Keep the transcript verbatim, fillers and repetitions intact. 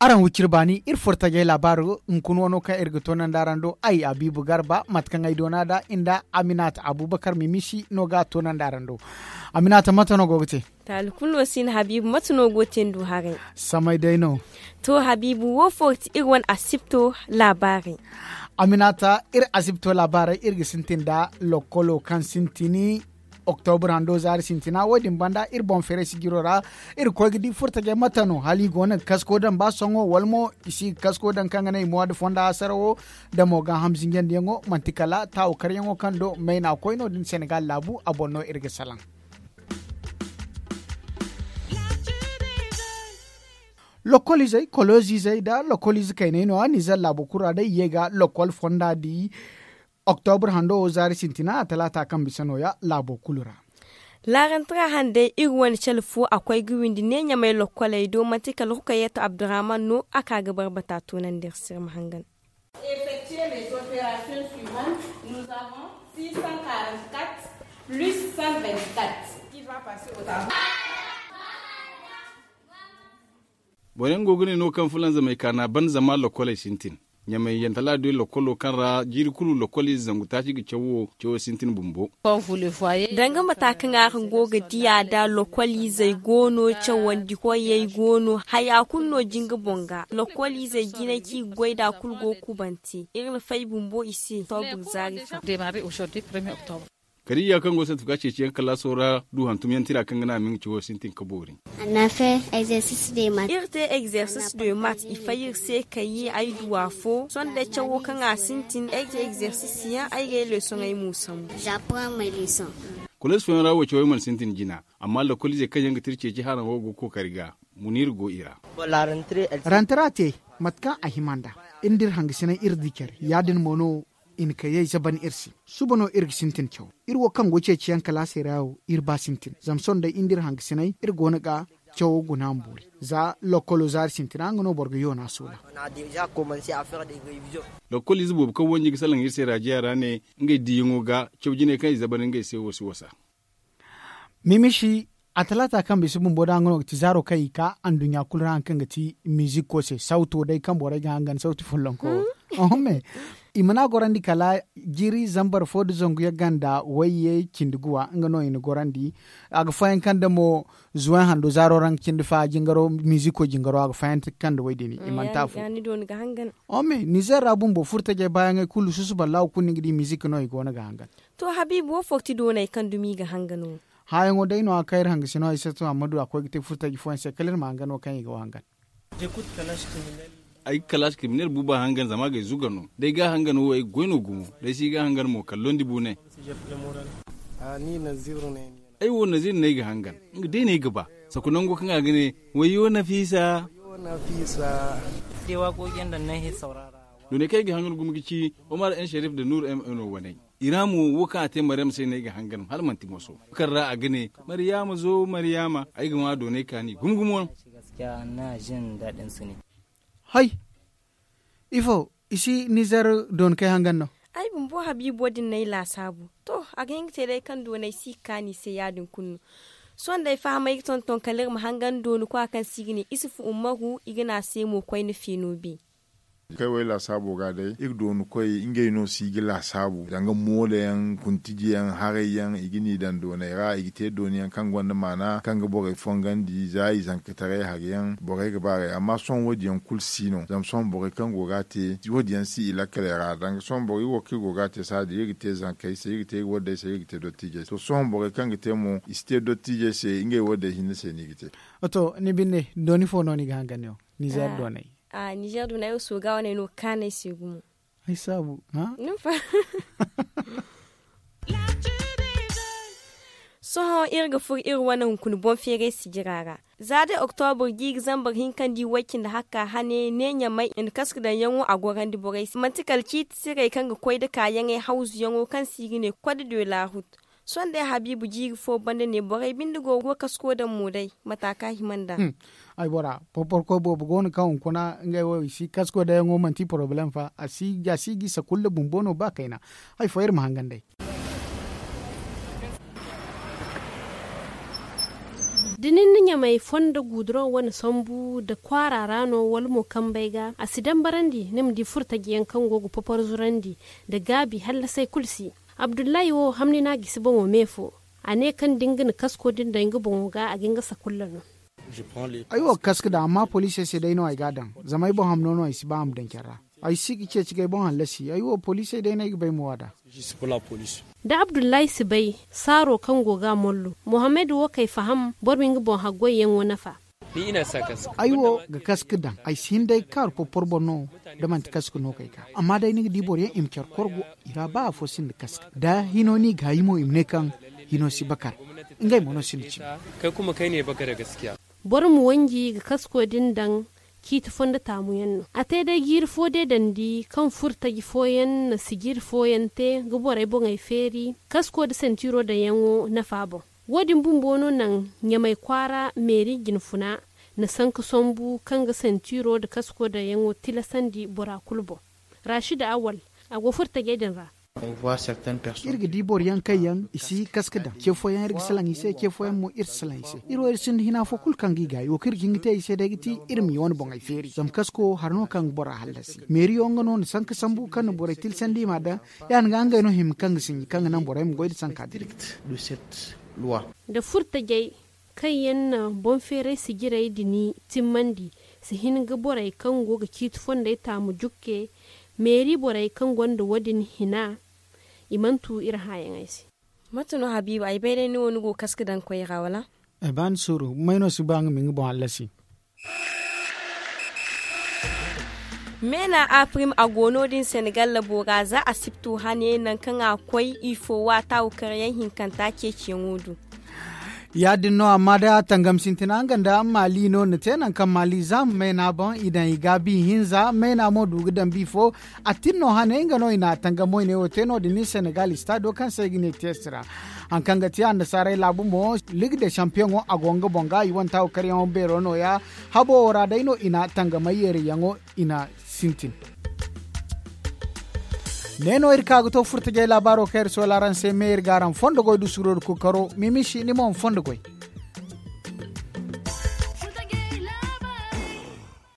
Araŋ wiciri baani iri furo tajay laabaaro hunkuna wano kaŋ iri ga toonandi araŋ do ay habiibu garba mate kaŋ ay doona nd'a nda aminata abubakar mimisi no ga a toonandi araŋ do. Aminata mate no go ga te? Taali kulu no si hin habiibu mate no go ga te ni du haray? Samay day no. To habiibu wo fo ga ti iri wane asibto laabaarey. Aminata iri asibto laabaarey iri ga sintin nda lokkolo kaŋ sintin oktobur hando zaari sintina wo- din banda iri boŋ feeray sijiro ra. Iri ga koy ga di furtajey mate no hala i go no ga kasko daŋ ba sohõ wala mo i si ga kasko daŋ kaŋ ga naŋ i mowa nda fonda hasarawo. Da mo ga hamzinjandiyaŋo manti kala taawu karyaŋo kaŋ do mayna koy no- din senegal laabu a boŋ no iri ga salaŋ. Lokkol izey kolozi izey nda lokkol ize kayney no- ya nizer laabo kulu ra day i ye ga lokkol fonda di. Oktobur hando wo zaari sintina a talaata kaŋ bisa no- ya laabo kulu ra. Laarantara handay iri wane cale fo a koy ga windi ne ɲamay lokkoley do manti kala hukayeeto abdurrahman no a ka ga barbata toonandi iri se iri ma hangan. Effectuer les opérations suivantes, nous avons six cent quarante-quatre plus cent vingt-quatre qui va passer au tableau. Boro yaŋ go ga ne no kaŋ fulanzamey kaana ban zama lokkoley sintin. Ɲamay yantala doy lokkolo kaŋ ra jiiri kulu lokkol ize zangu taaci ga cawo cawo sintin bumbo. Danga mata kaŋ araŋ go ga diya da lokkol izey go no cawandi koyey go no haya kulu no jinga boŋ ga lokkol izey jinay kaŋ i ga goy nd'a kulu go ga kubante iri na fay bumbo i se. Oktobur zaari fa. Kala iyya kaŋ go ga santi ga ceeciyaŋ kalaaso ra du hantumyaŋ tira kaŋ ga naŋ a ma nga cawo sintin ka boori. Iri te egzersis de mat i fay iri se kayye ay du afo sohõ day cawo kaŋ a sintin ay te egzersis yaŋ ay ga ay leesoŋey mo sambu. Kolees fooyaŋ ra wo cawey mana sintin jina amma lokoliizey kaŋ yaŋ ga tira ceeci haraŋo go ga kookari ga. Muniir go i ra. Rantara te mate kaŋ a hima nd'a iri nda iri hangasinay iri di care ya- din mo no i na kayey zaban iri se. Suba no iri ga sintin caw iri wo kaŋ go ceeciyaŋ kalaasey ra wo iri ba sintin zama sohõ day iri nda iri hangasinay iri go no ga cawo guna ma boori. Za lokkolo zaari sintina nga no boro ga yoona soola. Lokkol ize boobo kaŋ wanji ga salaŋ iri se raajiya ra ne ngey diiyaŋo ga caw jinay kaŋ i zaban ngey se wo si wasa. Mimishi a talaata kaŋ bisa bumbo da nga no ga ti zaaro kaŋ i ka anduɲɲa kulu ra hari kaŋ ga ti miizikko se sawto day kaŋ borey ga hangan sawti follonko wo. Oho me i mana gorandi kala jiiri zambar fo nda zangu yaŋ ganda wayye cindi guwa nga no i na gorandi. A ga fayanka nda mo zuway hando zaaro ra nga cindi fa jingaro miizikko jingaro a ga fayanka nda way- din i mana te afo. Oho me nizer ra bumbo furtajey baayaŋey kulu susuba laawo kulu ni ga di miizik no i go no ga hangan. To habiibu wo fo ga ti doonay kaŋ dumi i ga hangan wo. Haayaŋo day no a kaŋ iri hangasino ay sato amma du a koy ga te furtaji fooyaŋ se kala iri ma hangan wo kaŋ i ga wo hangan. Ay ga kalaasi kriminel buuba hangan zama a ga ay zuga no da ay ga a hangan wo ay ga goy no gumo da ay si ga a hangan mo kala londi buunay. Ay wo naziir no ay ga hangan nga day no ay ga ba. Saku nango kaŋ a ga ne wayyo nafiisa. Doonay kaŋ ay ga hangan gumo ga ci omar en sharif nda nuur m no waney. I ra mo wo kaŋ a te maryama se no ay ga hangan hala manti moso kaŋ ra a ga ne, maryama zo maryama ay ga ŋwa doonay kaani gumo gumo. Hay ifo i si nizer dooni kay hangan no? Ay bumbo habiibo din no ay laasaabu. To a ga hin ga te day kaŋ doonay si ga kaani i se ya- din kulu no. Sohõ day fahamay ga tonton kala iri ma hangan dooni kwa kaŋ se i ga ne isufu ummaru i ga ne a se mo koyne feeno be. Kay wo ay laasaabo ga day iri dooni koy ngey no si ga laasaabu danga moolo yaŋ kuntiji yaŋ haray yaŋ i ga ni daŋ doonay ra i ga te dooni yaŋ kaŋ gonda maana kaŋ ga borey fongandi za i zankataray hari yaŋ borey ga baarey amma sohõ wo- din yaŋ kulu si no zama sohõ borey kaŋ go ga a te wo- din yaŋ si i lakkaley ra danga sohõ borey wo kaŋ iri go ga a te saadi iri ga te zankey se iri ga te iri waddey se iri ga te dottijey se to sohõ borey kaŋ ga te mo i si te dottijey se ngey waddey hinne se no i ga te. To ni binde dooni fo no ni ga hangan yaŋ? Nizer doonay. Nizer doonay wo sooga wane no ga kaanu ay se gumo. Ay saabu. Sohõ iri ga furo iri wane hunkuna boŋ feeray sijira ra. Za day oktobur jiiri zambar hinka nda i way cindi hakka hane ne ɲamay i na kaska daŋyaŋo a gorandi borey se manti kala ciiti sirey kaŋ ga koy nda kaayaŋey hawzuyaŋo kaŋ se i ga ne kode de la rut. Sohõ day habiibu jiiri fo banda ne borey binde go ga kasko daŋ mo day mata kaŋ a hima nd'a. Ay bora porporkoy boobo go no kaŋ hunkuna ngey wo i si kasko daŋyaŋo manti porobalem fa a si ga i saka kulu nda bumbo no ba kayna. Hari fo iri ma hangan day. Da ni na ɲamay fondo guduroŋ wane sambu nda kwaara ra no wala mo kambey ga a si dambarandi ni ma di furtaji yaŋ kaŋ go ga popor zurandi nda gaabi hallasey kulu si. Abdullahi wo hamni no a gisi boŋo me fo. A ne kaŋ da nga na kasko din daŋ nga boŋo ga a ga nga sakulla no. Ay wo ga kaska daŋ amma poliisey se day no ay ga a daŋ. Zama ay boŋ hamno no ay si ba a ma daŋ care ra. Ay si ga ceeci ga ay boŋ hallasi ay wo poliisey day no ay ga bay ma wa nd'a. Da abdullahi si bay saaro kaŋ go ga a mollo muhammad wo kay faham boro ma nga boŋ haggoyyaŋo nafa. Ay wo ga kaska daŋ ay si hin day ga kaaru porpor boŋ no. Da manti kaska no kay ga amma day ni ga di boro yaŋ i ma care korgo i ra ba afo sinda kaska da hino no i ga hayi mo i ma ne kaŋ hino si bakar. Ngey mo no sinda cimi. Boro ma wanji ga kasko din daŋ ciiti fondo taamu yaŋ no a te day jiiri fo deedandi kaŋ furtaji fooyaŋ na sijiri fooyaŋ te ga borey boŋey feeri kasko nda sentiro daŋyaŋo nafa boŋ. Wo- din bumbo no naŋ ɲamay kwaara meeri jinfuna na sanka sambu kaŋ ga sentiro nda kasko daŋyaŋo tilasandi bora kulu boŋ. Rashida awal a go furtajey din ra. Iri ga di boro yaŋ kaŋ yaŋ i si kaska daŋ ce fooyaŋ iri ga salaŋ i se ce fooyaŋ mo iri si salaŋ i se iri wo iri sinda hina fo kulu kaŋ ga i gaayi wo kaŋ iri ga hin ga te i se day ga ti iri ma i wane boŋey feeri zama kasko hari no kaŋ ga bora hallasi meeriyo nga no na sanka sambu kaŋ na borey tilsandi i m'a daŋ. Ya- din ga ngey no hima kaŋ ga sinji kaŋ ga naŋ borey ma goy nda sanka din. Da furtajey kaŋ yaŋ na boŋ feeray sijirey din timmandi si hin ga borey kaŋ go ga ciiti fondey taamu jukke meeri borey kaŋ gonda wo- din hina. I mana tu iri hããyaŋey se. Mate no habiiba ay bay day ni wo ni go ga kaska daŋ koy ra wala? Ay ba ni suuru may no si ba nga ma nga boŋ hallasi. Meena a prim a go no- din senegal labo ra za a siptu hane nangu kaŋ a koy ifo waata wo karyaŋ hinkanta ceeciyaŋo du. Ya- din no amma day a tangam sintina nga nda maali no na te nangu kaŋ maali za ma meena boŋ i daŋ i gaabi hinza meena mo du ga daŋ bi fo. A tin no hane nga no i na a tangam wayne wo te no- din ni senegal istado kaŋ se ay ga ne test ra. Hari kaŋ ga ti annasaarey laabu mo ligue de champiyoŋo a go nga boŋ ga i wane taawo karyaŋo beero no- ya. Habo wo ra day no i na tangamay yeerayyaŋo i na sintin. Ne no iri ka ga to furtajey laabaaro kaŋ iri soola araŋ se me iri ga araŋ fondo goy du suuro da kookaro mimisi ni mo ma fondo goy.